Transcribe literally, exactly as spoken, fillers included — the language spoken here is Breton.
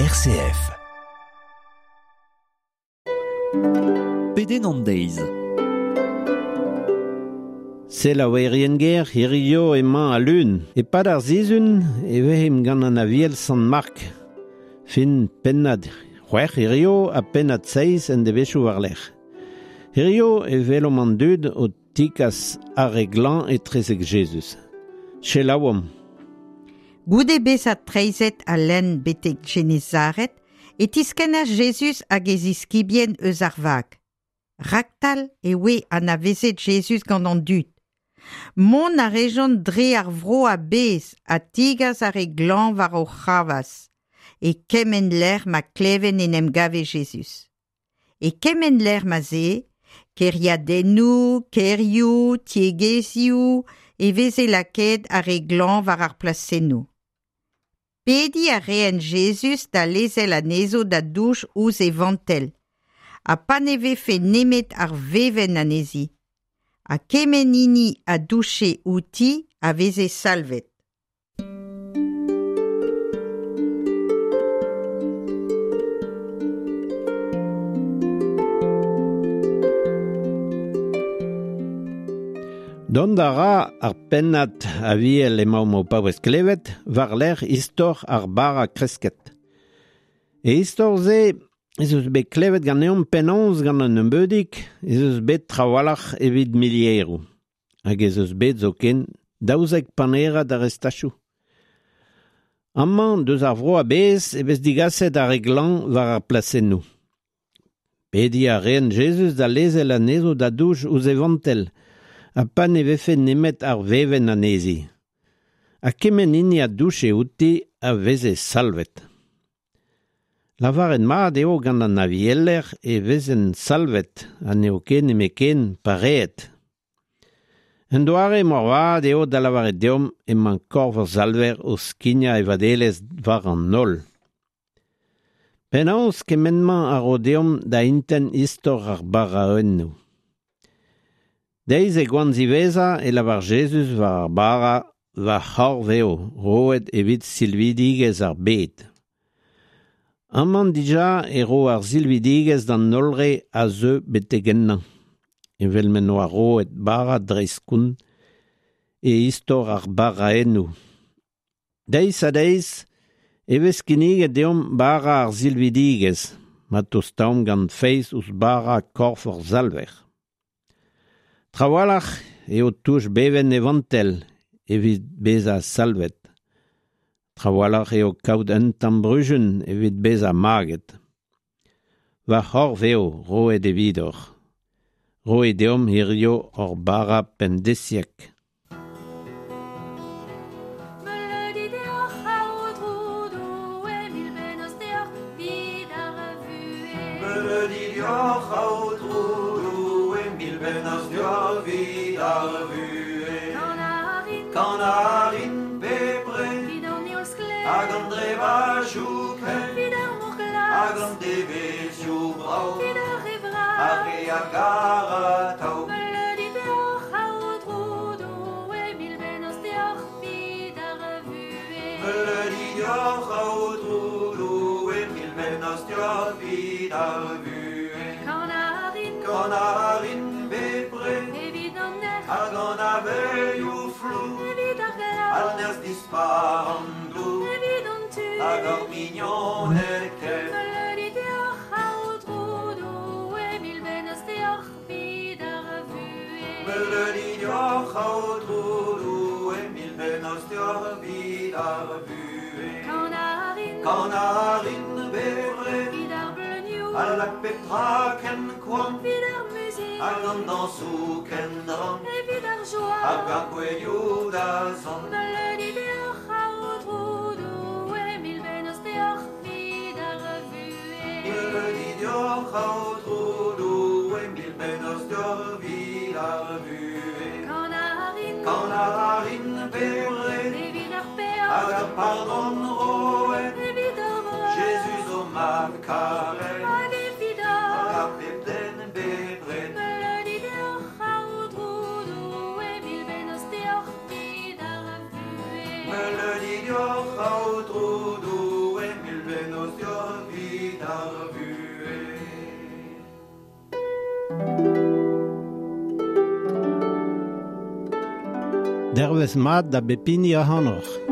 R C F. Pedenn an deiz. Selaouerien ger, hirio emañ al lun. E-pad ar sizhun e vezimp gant an aviel Sant Mark. Fin pennad c'hwec'h hirio ha pennad seizh en devezhioù war-lerc'h. Hirio e welomp an dud o tikas ar re glañv etrezek Jezuz. Selaouomp. Goude bezañ treizhet al lenn betek Genezaret, e tiskennas Jezuz hag e ziskibien eus ar vag. Raktal e oe anavezet Jezuz gant an dud. Mont a rejont dre ar vro a-bezh ha tigas ar re glañv war o c'hravazh, e kement lec'h ma kleven en em gave Jezuz. E kement lec'h ma 'z eo, kêriadennoù, kêrioù, tiegezhioù, e veze lakaet ar re glañv war ar plasennoù. Pediñ a reent Jezuz da lezel anezho da douch ouzh e vantell, ha pa ne vefe nemet ar vevenn anezhi. Ha kement hini a douche outi a veze salvet. Dont a ra ar pennad aviel emaomp o paouez klevet war-lerc'h istor ar bara kresket. E istor-se ez eus bet klevet ganeomp penaos gant an nebeudig ez eus bet trawalc'h evit milieroù. Hag ez eus bet zoken daouzek panerad ar restachoù. Amañ deus ar vro a-bezh e vez digaset ar re glañv war ar plasennoù. Pediñ a reent Jezuz da lezel anezho da douch ouzh e vantell, ha pa ne vefe nemet ar vevenn anezhi. Ha kement hini a douche outi a veze salvet. Lavaret mat eo gant an avieler e vezen salvet ha n'eo ket nemetken pareet. Un doare moarvat eo da lavaret deomp emañ korf ar salver o skignañ e vadelezh war an holl. Penaos kement-mañ a ro deomp da intent istor ar baraennoù. Deiz e goan ziwezhañ e lavar Jezuz war ar bara va c'horf eo roet evit silvidigezh ar bed. Amañ dija e ro ar silvidigezh d'an holl re a zeu betek ennañ, evel m'en doa roet bara dreist-koun e istor ar baraennoù. Deiz ha deiz e vez kinniget deomp bara ar silvidigezh, ma tostaomp gant feiz ouzh bara korf ar salver. Trawalc'h eo touch bevenn e vantell evit bezañ salvet. Trawalc'h eo kaout un tamm bruzhun evit bezañ maget. Va c'horf eo roet evidoc'h. Roet deomp hirio hor bara pemdeziek. Meuleudi deoc'h Aotrou Doue, mil bennozh deoc'h 'vit ar vuhez. Meuleudi deoc'h Aotrou Doue, mil bennozh deoc'h 'vit ar vuhez. Kan a rin, Kan a rin bepred, 'vit an heol sklaer, hag an drevajoù kaer, 'vit ar mor glas, hag an devezhioù brav, 'vit ar re vras, ar re a gar atav. Meuleudi deoc'h Aotrou Doue, mil bennozh deoc'h 'vit ar vuhez. Meuleudi deoc'h Aotrou Doue, mil bennozh deoc'h 'vit ar vuhez. Kan a rin, Kan a rin bepred, evit an erc'h, hag an avelioù flour, evit ar glav, al nerzh dispar an dour, evit an tud, hag ar mignoned ker. Meuleudi deoc'h Aotrou Doue, mil bennozh deoc'h 'vit ar vuhez. Meuleudi deoc'h Aotrou Doue, mil bennozh deoc'h 'vit ar vuhez. Kan a rin, Kan a rin bepred, 'vit ar bleunioù, a lak pep tra ken koant, 'vit ar muzik, hag an dañsoù ken drant, evit ar joa, hag ar gouelioù da zont. Meuleudi deoc'h Aotrou Doue, mil bennozh deoc'h 'vit ar vuhez. Meuleudi deoc'h Aotrou Doue, mil bennozh deoc'h 'vit ar vuhez. Kan a rin, Kan a rin bepred, evit ar peoc'h, hag ar pardon roet, evit ar breur, Jezuz o mab karet, hag evit hag hor. ar pep den bepred. Meuleudi deoc'h Aotrou Doue, mil bennozh deoc'h 'vit ar vuhez. Meuleudi deoc'h Aotrou Doue, mil bennozh deoc'h Dervez mat da bep hini ac'hanoc'h.